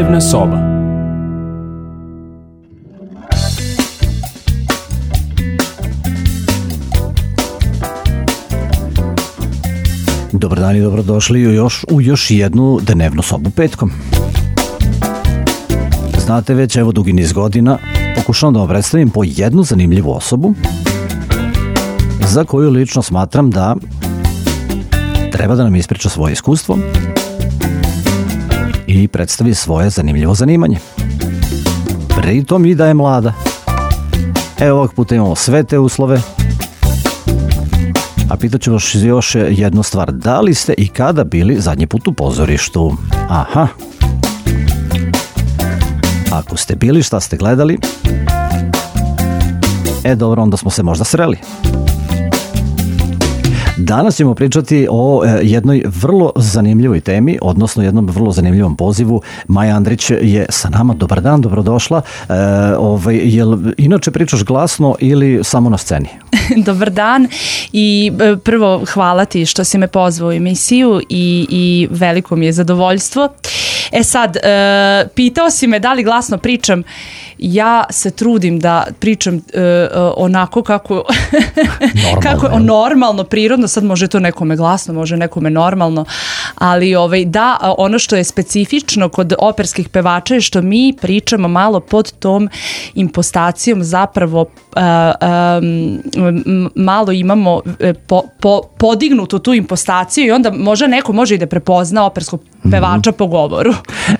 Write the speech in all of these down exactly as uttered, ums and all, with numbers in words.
Dnevna soba. Dobar dan i dobrodošli u još, u još jednu dnevnu sobu petkom. Znate već, evo dugi niz godina, pokušavam da vam predstavim po jednu zanimljivu osobu za koju lično smatram da treba da nam ispriča svoje iskustvo i predstavi svoje zanimljivo zanimanje. Pritom i da je mlada. Evo ovog puta imamo sve te uslove. A pitaću vas još jednu stvar. Da li ste i kada bili zadnji put u pozorištu? Aha. Ako ste bili, šta ste gledali? E dobro, onda smo se možda sreli. Danas ćemo pričati o e, jednoj vrlo zanimljivoj temi, odnosno jednom vrlo zanimljivom pozivu. Maja Andrić je sa nama. Dobar dan, dobrodošla. E, ovaj, jel inače pričaš glasno ili samo na sceni? Dobar dan i prvo hvala ti što si me pozvao u emisiju i, i veliko mi je zadovoljstvo. E sad, e, pitao si me da li glasno pričam. Ja se trudim da pričam e, onako kako, kako normalno, prirodno, sad može to nekome glasno, može nekome normalno, ali ovaj, da, ono što je specifično kod operskih pevača je što mi pričamo malo pod tom impostacijom, zapravo e, e, malo imamo po, po, podignutu tu impostaciju i onda možda neko može i da prepozna operskog pevača mm-hmm. po govoru.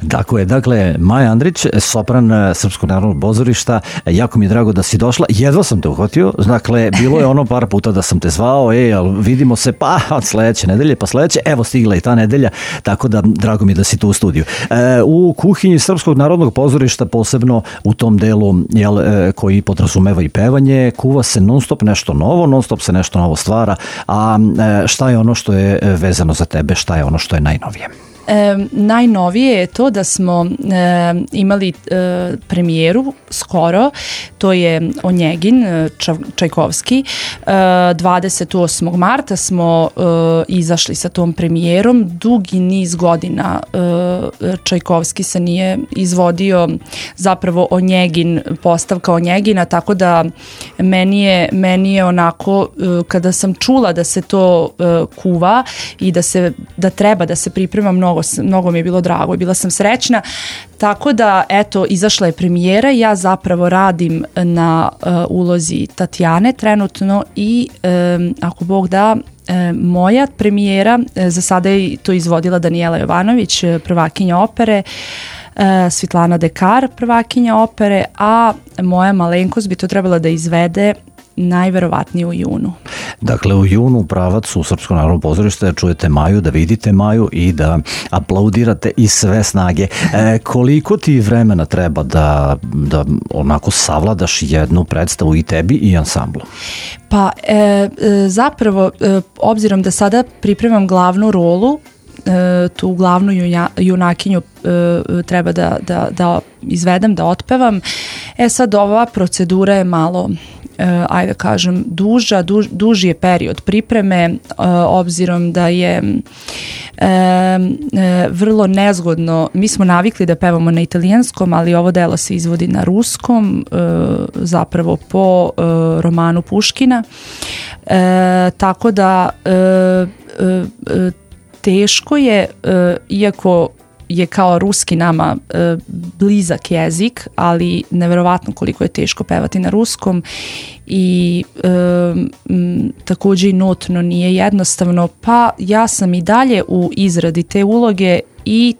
Tako je, dakle, Maja Andrić, sopran Srpskog narodnog pozorišta, jako mi je drago da si došla, jedva sam te uhvatio, dakle, bilo je ono par puta da sam te zvao, ej, ali vidimo se, pa od sledeće nedelje, pa sledeće, evo stigla i ta nedelja, tako da drago mi je da si tu u studiju. E, u kuhinji Srpskog narodnog pozorišta, posebno u tom delu jel, e, koji podrazumeva i pevanje, kuva se non stop nešto novo, non stop se nešto novo stvara, a e, šta je ono što je vezano za tebe, šta je ono što je najnovije? E, najnovije je to da smo e, imali e, premijeru skoro, to je Onjegin, Ča, Čajkovski. E, dvadeset osmog marta smo e, izašli sa tom premijerom. Dugi niz godina e, Čajkovski se nije izvodio zapravo Onjegin, postavka Onjegina, tako da meni je, meni je onako, e, kada sam čula da se to e, kuva i da, se, da treba da se priprema mnogo mnogo mi je bilo drago i bila sam srećna, tako da eto izašla je premijera, ja zapravo radim na uh, ulozi Tatjane trenutno i um, ako Bog da um, moja premijera, uh, za sada je to izvodila Danijela Jovanović, prvakinja opere, uh, Svitlana Dekar, prvakinja opere, a moja malenkost bi to trebala da izvede najverovatnije u junu. Dakle, u junu pravac u Srpsko narodno pozorište čujete Maju, da vidite Maju i da aplaudirate iz sve snage. E, koliko ti vremena treba da, da onako savladaš jednu predstavu i tebi i ansamblu? Pa e, zapravo, e, obzirom da sada pripremam glavnu rolu, e, tu glavnu juja, junakinju e, treba da, da, da izvedem, da otpevam. E sad ova procedura je malo Uh, ajde kažem, duža, duž, duži je period pripreme, uh, obzirom da je uh, uh, vrlo nezgodno. Mi smo navikli da pevamo na italijanskom, ali ovo delo se izvodi na ruskom, uh, zapravo po uh, romanu Puškina. Uh, tako da uh, uh, teško je, uh, iako je kao ruski nama e, blizak jezik, ali neverovatno koliko je teško pevati na ruskom i e, m, također i notno nije jednostavno, pa ja sam i dalje u izradi te uloge i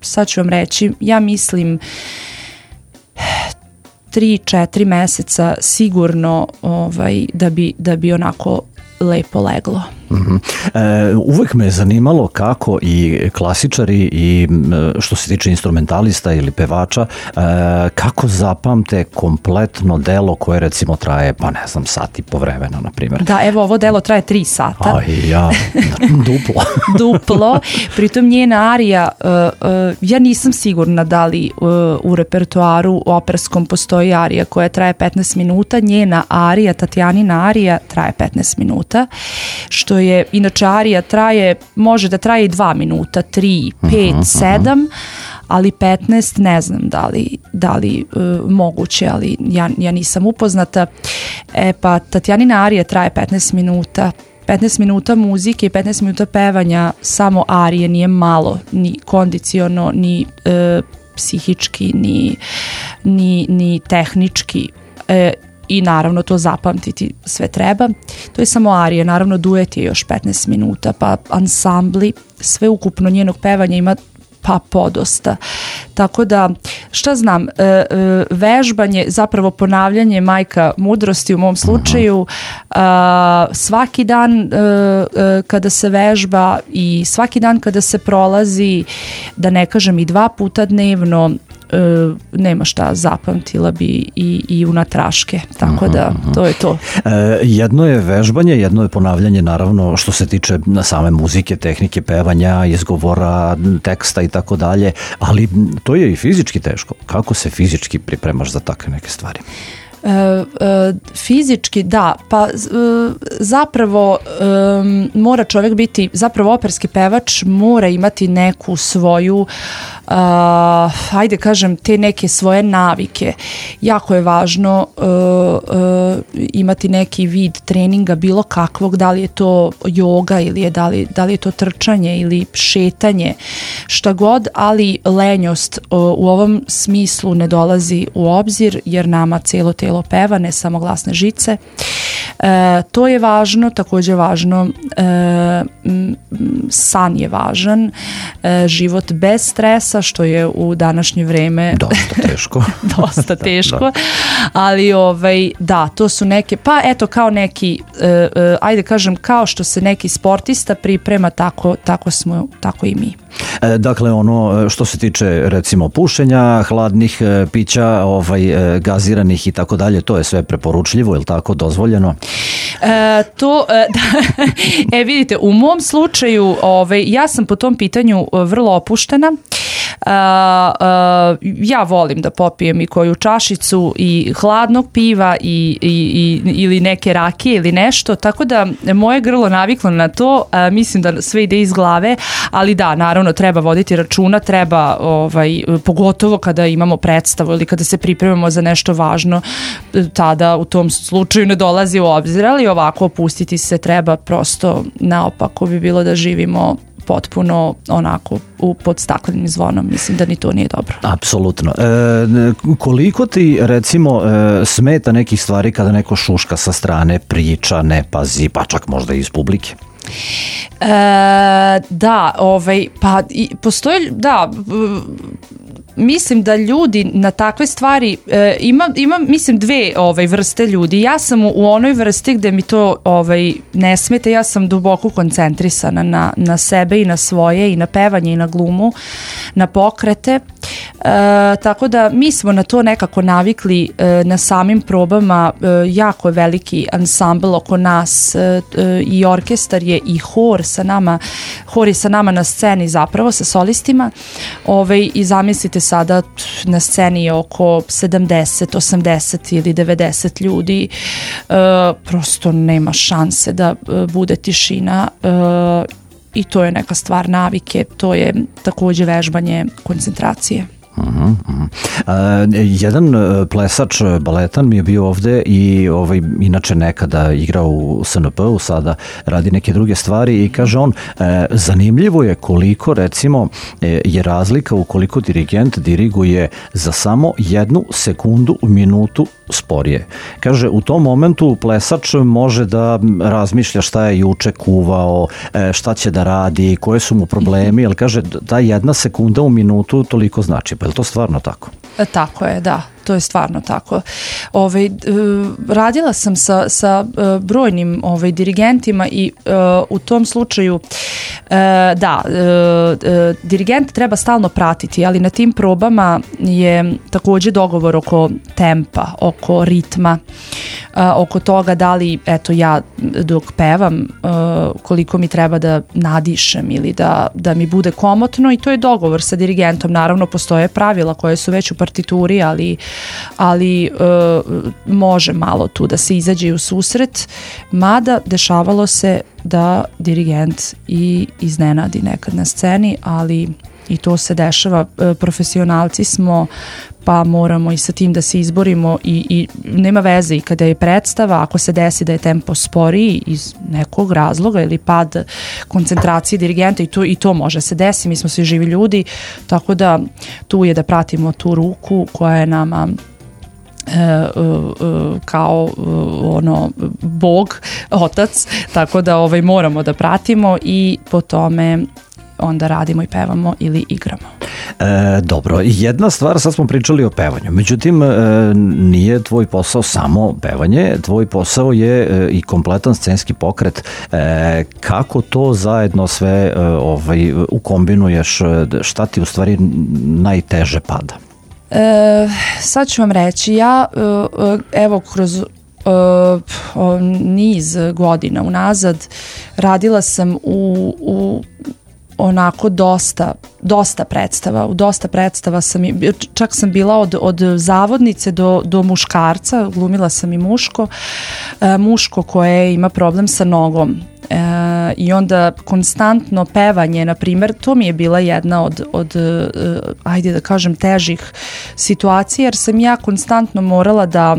sad ću vam reći, ja mislim tri, četiri meseca sigurno ovaj, da bi, da bi onako lepo leglo. Mm-hmm. E, uvek me je zanimalo kako i klasičari i što se tiče instrumentalista ili pevača, e, kako zapamte kompletno delo koje recimo traje, pa ne znam, sat i po vremena, na primjer. Da, evo ovo delo traje tri sata. Aj, ja, duplo. Duplo, pritom njena arija, uh, uh, ja nisam sigurna da li uh, u repertoaru operskom postoji arija koja traje petnaest minuta, njena arija, Tatjanina arija traje petnaest minuta, što je, inače arija traje, može da traje i dva minuta, tri, pet, uh-huh, sedam, ali petnaest ne znam da li, da li uh, moguće, ali ja, ja nisam upoznata. E pa Tatjanina arija traje petnaest minuta, petnaest minuta muzike i petnaest minuta pevanja, samo arije, nije malo, ni kondiciono, ni uh, psihički, ni, ni, ni tehnički. E, i naravno to zapamtiti sve treba. To je samo arije, naravno duet je još petnaest minuta, pa ansambli, sve ukupno njenog pevanja ima pa podosta. Tako da, šta znam, e, e, vežbanje, zapravo ponavljanje majka mudrosti u mom slučaju, a, svaki dan e, e, kada se vežba i svaki dan kada se prolazi, da ne kažem i dva puta dnevno, Uh, nema šta, zapamtila bi i, i unatraške, tako da to je to. E, jedno je vežbanje, jedno je ponavljanje, naravno što se tiče same muzike, tehnike pevanja, izgovora, teksta i tako dalje, ali to je i fizički teško. Kako se fizički pripremaš za takve neke stvari? E, e, fizički, da, pa e, zapravo e, mora čovjek biti, zapravo operski pevač mora imati neku svoju Uh, ajde kažem te neke svoje navike. Jako je važno uh, uh, imati neki vid treninga bilo kakvog, da li je to joga ili je, da, li, da li je to trčanje ili šetanje, šta god, ali lenjost uh, u ovom smislu ne dolazi u obzir jer nama cijelo telo peva, ne samo glasne žice. Uh, to je važno, također važno, uh, san je važan, uh, život bez stresa, što je u današnje vreme dosta teško. dosta teško, da, da. Ali ovaj, da, to su neke, pa eto kao neki, uh, uh, ajde kažem, kao što se neki sportista priprema, tako, tako smo, tako i mi. E, dakle, ono što se tiče recimo pušenja, hladnih e, pića, ovaj, e, gaziranih i tako dalje, to je sve preporučljivo, je li tako, dozvoljeno? E, to, e, da, e vidite, u mom slučaju ovaj, ja sam po tom pitanju vrlo opuštena. Uh, uh, ja volim da popijem i koju čašicu i hladnog piva i, i, i, ili neke rakije ili nešto, tako da moje grlo naviklo na to, uh, mislim da sve ide iz glave, ali da, naravno treba voditi računa, treba ovaj, pogotovo kada imamo predstavu ili kada se pripremamo za nešto važno, tada u tom slučaju ne dolazi u obzir, ali ovako opustiti se treba, prosto naopako bi bilo da živimo potpuno onako u, pod staklenim zvonom, mislim da ni to nije dobro. Apsolutno. E, koliko ti recimo e, smeta nekih stvari kada neko šuška sa strane, priča, ne pazi, pa čak možda i iz publike? E, da, ovaj, pa i, postoji, da, mislim da ljudi na takve stvari e, ima, ima mislim dve ovaj, vrste ljudi. Ja sam u, u onoj vrsti gde mi to ovaj, ne smeta, ja sam duboko koncentrisana na, na sebe i na svoje i na pevanje i na glumu, na pokrete. E, tako da mi smo na to nekako navikli e, na samim probama, e, jako je veliki ansambl oko nas e, e, i orkestar je i hor sa nama, hor je sa nama na sceni zapravo sa solistima, ovaj, i zamislite sada na sceni je oko sedamdeset, osamdeset ili devedeset ljudi, e, prosto nema šanse da e, bude tišina e, i to je neka stvar navike, to je također vežbanje koncentracije. Uh-huh, uh-huh. Uh, jedan plesač baletan mi je bio ovde i ovaj, inače nekada igrao u S N P-u, sada radi neke druge stvari i kaže on, uh, zanimljivo je koliko recimo je razlika ukoliko dirigent diriguje za samo jednu sekundu u minutu sporije. Kaže, u tom momentu plesač može da razmišlja šta je juče kuvao, šta će da radi, koje su mu problemi, ali kaže, ta jedna sekunda u minutu toliko znači. Pa je li to stvarno tako? Tako je, da. To je stvarno tako. Ovaj, radila sam sa, sa brojnim ovaj, dirigentima i uh, u tom slučaju uh, da, uh, uh, dirigent treba stalno pratiti, ali na tim probama je također dogovor oko tempa, oko ritma, uh, oko toga da li, eto ja dok pevam, uh, koliko mi treba da nadišem ili da, da mi bude komotno i to je dogovor sa dirigentom. Naravno, postoje pravila koje su već u partituri, ali ali e, može malo tu da se izađe u susret, mada dešavalo se da dirigent i iznenadi nekad na sceni, ali i to se dešava, profesionalci smo, pa moramo i sa tim da se izborimo i, i nema veze i kada je predstava, ako se desi da je tempo sporiji iz nekog razloga ili pad koncentracije dirigenta i to, i to može se desiti, mi smo svi živi ljudi, tako da tu je da pratimo tu ruku koja je nama E, uh, uh, kao uh, ono Bog, otac, tako da ovaj, moramo da pratimo i po tome onda radimo i pevamo ili igramo. E, dobro, jedna stvar, sad smo pričali o pevanju, međutim e, nije tvoj posao samo pevanje, tvoj posao je e, i kompletan scenski pokret. E, kako to zajedno sve e, ovaj, ukombinuješ, šta ti u stvari najteže pada? E, sad ću vam reći, ja evo kroz e, niz godina unazad radila sam u, u onako dosta, dosta predstava, u dosta predstava sam, čak sam bila od, od zavodnice do, do muškarca, glumila sam i muško, e, muško koje ima problem sa nogom. E, i onda konstantno pevanje, na primjer, to mi je bila jedna od, od e, ajde da kažem, težih situacija, jer sam ja konstantno morala da,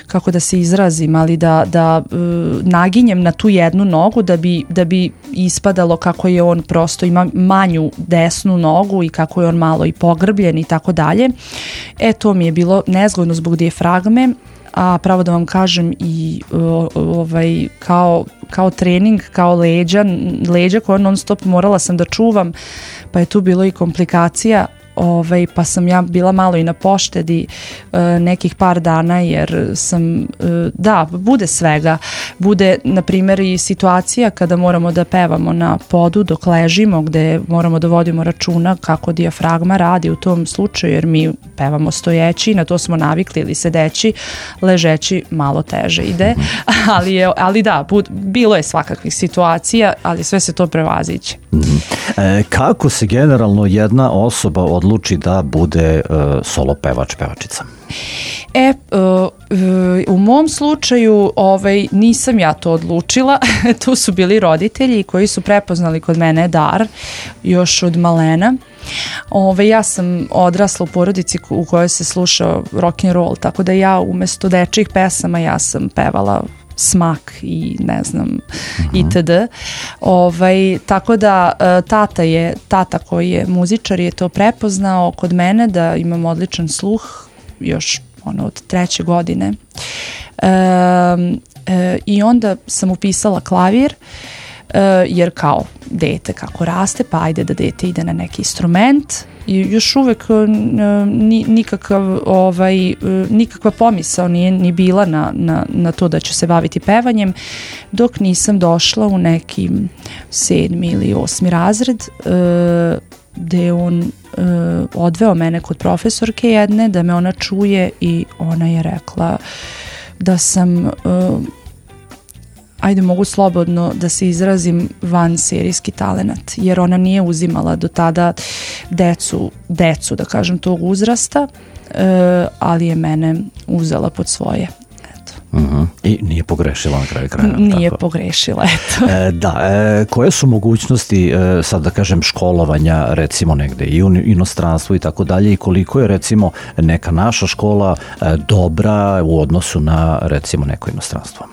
kako da se izrazim, ali da, da e, naginjem na tu jednu nogu da bi, da bi ispadalo kako je on prosto ima manju desnu nogu i kako je on malo i pogrbljen i tako dalje. E, to mi je bilo nezgodno zbog dijafragme, a pravo da vam kažem i o, ovaj, kao, kao trening, kao leđa, leđa koje non stop morala sam da čuvam, pa je tu bilo i komplikacija. Ovaj, pa sam ja bila malo i na poštedi e, nekih par dana jer sam, e, da, bude svega. Bude, na primjer, i situacija kada moramo da pevamo na podu dok ležimo, gde moramo da vodimo računa kako dijafragma radi u tom slučaju, jer mi pevamo stojeći, na to smo navikli, ili sedeći, ležeći malo teže ide, ali, je, ali da, bud, bilo je svakakvih situacija, ali sve se to prevaziće. Mm-hmm. E, kako se generalno jedna osoba odluči da bude uh, solo pevač, pevačica? E, uh, uh, u mom slučaju ovaj, nisam ja to odlučila, tu su bili roditelji koji su prepoznali kod mene dar još od malena. Ove, ja sam odrasla u porodici u kojoj se slušao rock and roll, tako da ja umesto dečjih pesama ja sam pevala Smak i ne znam uh-huh. itd. Ovaj, tako da tata je, tata koji je muzičar je to prepoznao kod mene da imam odličan sluh još ono od treće godine. E, e, i onda sam upisala klavir jer kao dete kako raste, pa ajde da dete ide na neki instrument i još uvek nikakav, ovaj, nikakva pomisao nije ni bila na, na, na to da ću se baviti pevanjem dok nisam došla u neki sedmi ili osmi razred gde on odveo mene kod profesorke jedne da me ona čuje i ona je rekla da sam ajde mogu slobodno da se izrazim van serijski talenat, jer ona nije uzimala do tada decu, decu da kažem tog uzrasta, e, ali je mene uzela pod svoje. Eto. Uh-huh. I nije pogrešila na kraju kraja. Nije tako. pogrešila, eto. E, da, e, koje su mogućnosti, e, sad da kažem, školovanja recimo negde i u inostranstvu i tako dalje i koliko je recimo neka naša škola e, dobra u odnosu na recimo neko inostranstvo?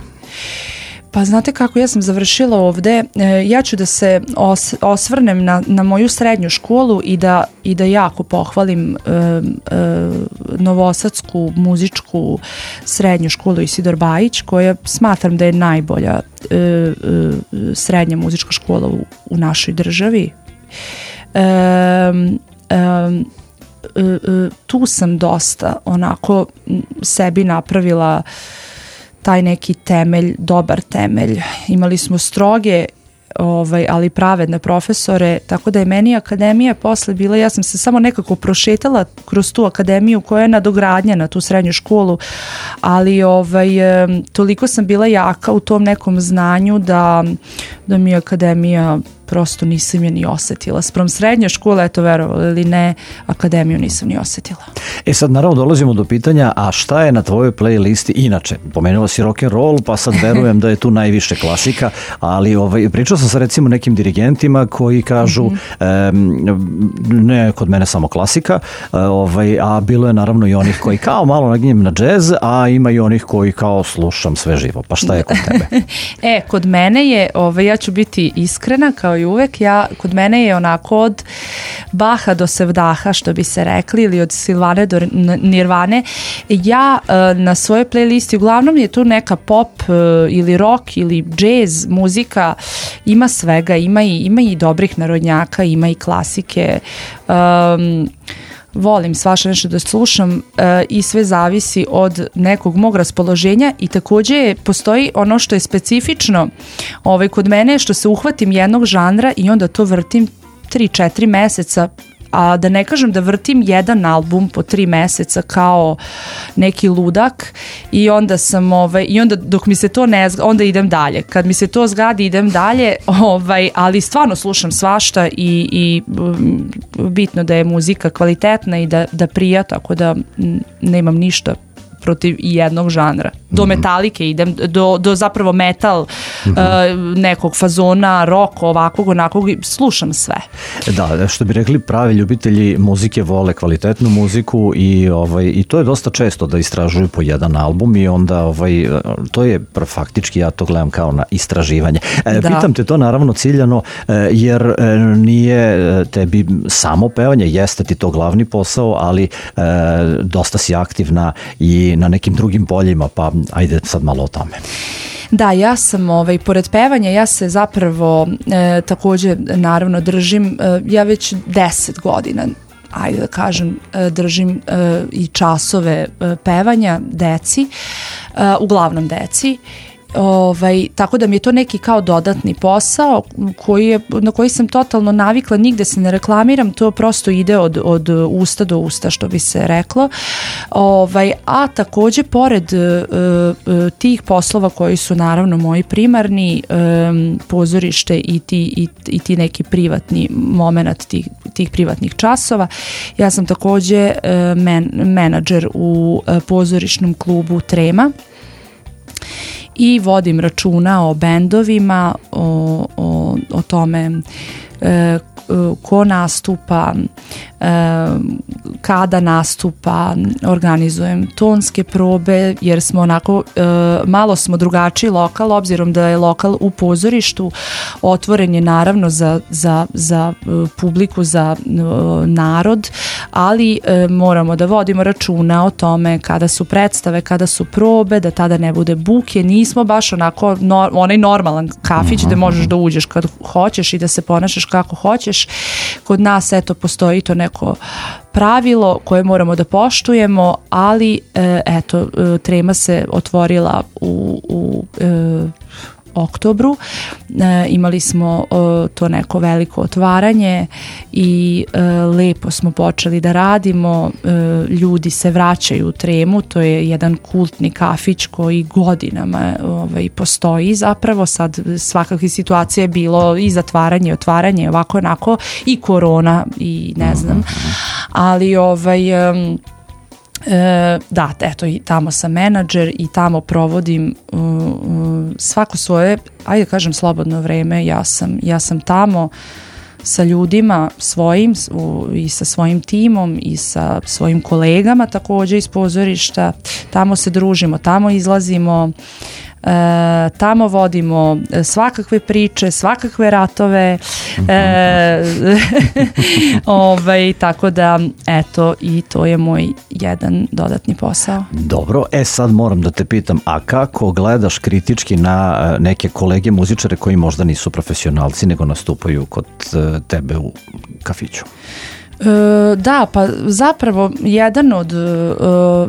Pa znate kako, ja sam završila ovde, ja ću da se os, osvrnem na, na moju srednju školu i da, i da jako pohvalim e, e, Novosadsku muzičku srednju školu Isidor Bajić, koja smatram da je najbolja e, e, srednja muzička škola u, u našoj državi. E, e, e, tu sam dosta onako sebi napravila taj neki temelj, dobar temelj. Imali smo stroge, ovaj, ali pravedne profesore, tako da je meni akademija posle bila, ja sam se samo nekako prošetala kroz tu akademiju koja je nadogradnja na tu srednju školu, ali ovaj, toliko sam bila jaka u tom nekom znanju da, da mi je akademija prosto nisam je ni osetila. Sprem srednje škole, eto verovali ili ne, akademiju nisam ni osetila. E sad naravno dolazimo do pitanja, a šta je na tvojoj playlisti inače? Pomenula si rock and roll, pa sad verujem da je tu najviše klasika, ali ovaj, pričao sam sa recimo nekim dirigentima koji kažu mm-hmm. e, ne kod mene samo klasika, e, ovaj, a bilo je naravno i onih koji kao malo naginjem na džez, a ima i onih koji kao slušam sve živo. Pa šta je kod tebe? E, kod mene je, ovaj, ja ću biti iskrena kao i uvek, ja, kod mene je onako od Baha do Sevdaha, što bi se rekli, ili od Silvane do Nirvane. Ja na svojoj playlisti, uglavnom je tu neka pop ili rock ili jazz muzika, ima svega, ima i, ima i dobrih narodnjaka, ima i klasike. Um, volim svašta nešto da slušam uh, i sve zavisi od nekog mog raspoloženja i također postoji ono što je specifično ovaj, kod mene, što se uhvatim jednog žanra i onda to vrtim tri četiri meseca, a da ne kažem da vrtim jedan album po tri meseca kao neki ludak i onda sam ovaj, i onda dok mi se to ne zgadi, onda idem dalje. Kad mi se to zgadi idem dalje, ovaj, ali stvarno slušam svašta i, i bitno da je muzika kvalitetna i da, da prija, tako da nemam ništa protiv jednog žanra. Do metalike idem, do, do zapravo metal mm-hmm. uh, nekog fazona, rock, ovakvog, onakvog, slušam sve. Da, što bi rekli, pravi ljubitelji muzike vole kvalitetnu muziku i, ovaj, i to je dosta često da istražuju po jedan album i onda ovaj, to je faktički, ja to gledam kao na istraživanje. E, pitam te to naravno ciljano jer nije tebi samo pevanje, jeste ti to glavni posao, ali e, dosta si aktivna i na nekim drugim poljima, pa ajde sad malo o tome. Da, ja sam, ovaj, pored pevanja, ja se zapravo e, također naravno držim, e, ja već deset godina, ajde da kažem, e, držim e, i časove e, pevanja deci, e, uglavnom deci. Ovaj, tako da mi je to neki kao dodatni posao koji je, na koji sam totalno navikla, nigde se ne reklamiram, to prosto ide od, od usta do usta, što bi se reklo. Ovaj, a također pored uh, tih poslova koji su naravno moji primarni, um, pozorište i ti, i, i ti neki privatni moment tih, tih privatnih časova, ja sam također uh, men, menadžer u uh, pozorišnom klubu Trema i vodim računa o bendovima, o, o, o tome e, ko nastupa, e, kada nastupa, organizujem tonske probe jer smo onako, e, malo smo drugačiji lokal, obzirom da je lokal u pozorištu, otvoren je naravno za, za, za publiku, za e, narod, ali e, moramo da vodimo računa o tome kada su predstave, kada su probe, da tada ne bude buke, nismo baš onako no, onaj normalan kafić gde možeš da uđeš kad hoćeš i da se ponašaš kako hoćeš. Kod nas eto postoji to neko pravilo koje moramo da poštujemo, ali e, eto Trema se otvorila u, u e, oktobru, e, imali smo e, to neko veliko otvaranje i e, lepo smo počeli da radimo, e, ljudi se vraćaju u Tremu, to je jedan kultni kafić koji godinama ovaj, postoji zapravo, sad svakakvih situacija je bilo i zatvaranje, otvaranje, ovako onako i korona i ne znam, ali ovaj um, E, da, eto i tamo sam menadžer i tamo provodim uh, uh, svako svoje, ajde kažem slobodno vreme, ja sam, ja sam tamo sa ljudima svojim u, i sa svojim timom i sa svojim kolegama također iz pozorišta, tamo se družimo, tamo izlazimo, E, tamo vodimo svakakve priče, svakakve ratove, e, ovaj, tako da eto i to je moj jedan dodatni posao. Dobro, e sad moram da te pitam, a kako gledaš kritički na neke kolege muzičare koji možda nisu profesionalci nego nastupaju kod tebe u kafiću? E, da, pa zapravo jedan od e,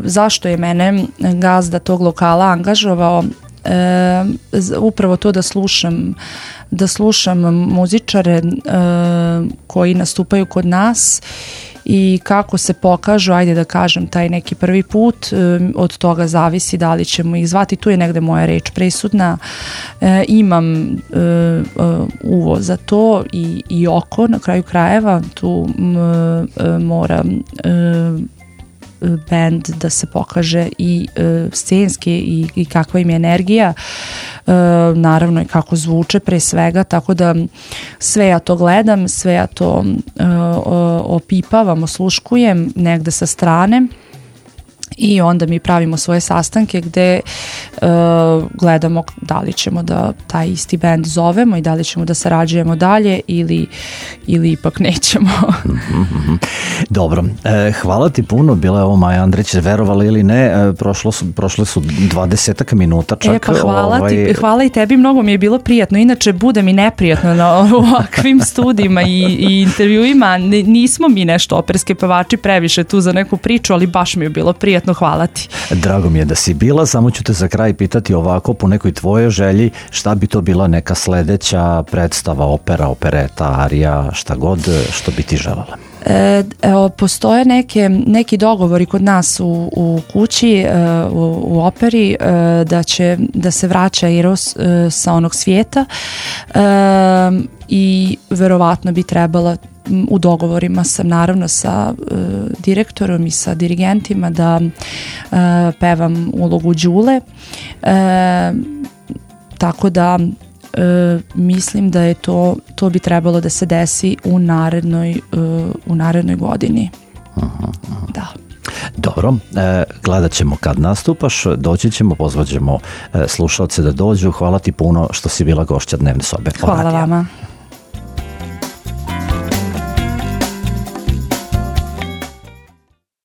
zašto je mene gazda tog lokala angažovao, E, upravo to da slušam da slušam muzičare e, koji nastupaju kod nas i kako se pokažu, ajde da kažem, taj neki prvi put, od toga zavisi da li ćemo ih zvati. Tu je negde moja reč presudna. E, imam e, e, uvo za to i, i oko na kraju krajeva. Tu m, e, mora e, band da se pokaže i e, scenski i, i kakva im je energija, e, naravno i kako zvuče pre svega, tako da sve ja to gledam, sve ja to e, opipavam, osluškujem negde sa strane i onda mi pravimo svoje sastanke gde uh, gledamo da li ćemo da taj isti band zovemo i da li ćemo da sarađujemo dalje ili, ili ipak nećemo. Dobro, e, hvala ti puno, bila je ovo Maja Andrić, verovali ili ne, e, prošlo su, prošle su dvadesetak minuta čak. E pa hvala, ovaj... ti, hvala i tebi, mnogo mi je bilo prijatno, inače bude mi neprijatno na ovakvim studijima i, i intervjuima, nismo mi nešto operske pevači previše tu za neku priču, ali baš mi je bilo prijatno. Hvala ti. Drago mi je da si bila, samo ću te za kraj pitati ovako po nekoj tvojoj želji, šta bi to bila neka sledeća predstava, opera, opereta, arija, šta god, što bi ti želela? E, evo, postoje neke, neki dogovori kod nas u, u kući, e, u, u operi, e, da će da se vraća Eros e, sa onog svijeta e, i verovatno bi trebala, u dogovorima sam naravno sa e, direktorom i sa dirigentima da e, pevam ulogu Đule, e, tako da e, mislim da je to, to bi trebalo da se desi u narednoj, e, u narednoj godini. Aha, aha. Da. Dobro, e, gledat ćemo kad nastupaš, doći ćemo, pozvaćemo e, slušalce da dođu. Hvala ti puno što si bila gošća Dnevne sobe. Hvala vama.